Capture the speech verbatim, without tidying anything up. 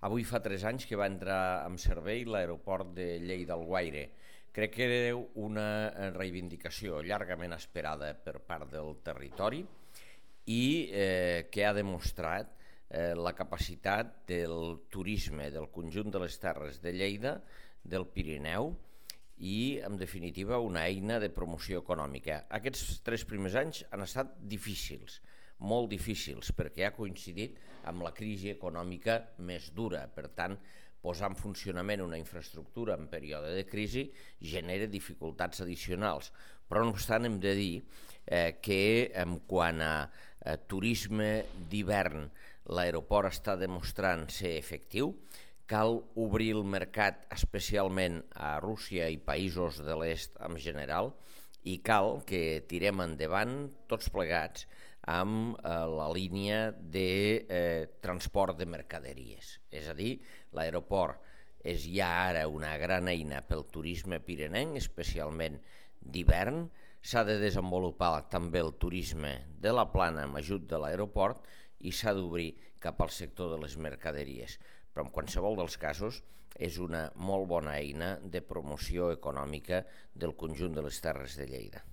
Avui fa tres anys que va entrar en servei l'aeroport de Lleida-Alguaire. Crec que era una reivindicació llargament esperada per part del territori i eh, que ha demostrat eh, la capacitat del turisme del conjunt de les terres de Lleida, del Pirineu, i, en definitiva, una eina de promoció econòmica. Aquests tres primers anys han estat difícils, molt difícils, perquè ha coincidit amb la crisi econòmica més dura. Per tant, posar en funcionament una infraestructura en període de crisi genera dificultats addicionals. Però, no obstant, hem de dir eh, que en quant a eh, turisme d'hivern l'aeroport està demostrant ser efectiu. Cal obrir el mercat especialment a Rússia i països de l'est en general i cal que tirem endavant tots plegats amb eh, la línia de eh, transport de mercaderies. És a dir, l'aeroport és ja ara una gran eina pel turisme pirinenc, especialment d'hivern. S'ha de desenvolupar també el turisme de la plana amb ajut de l'aeroport i s'ha d'obrir cap al sector de les mercaderies. Però en qualsevol dels casos és una molt bona eina de promoció econòmica del conjunt de les terres de Lleida.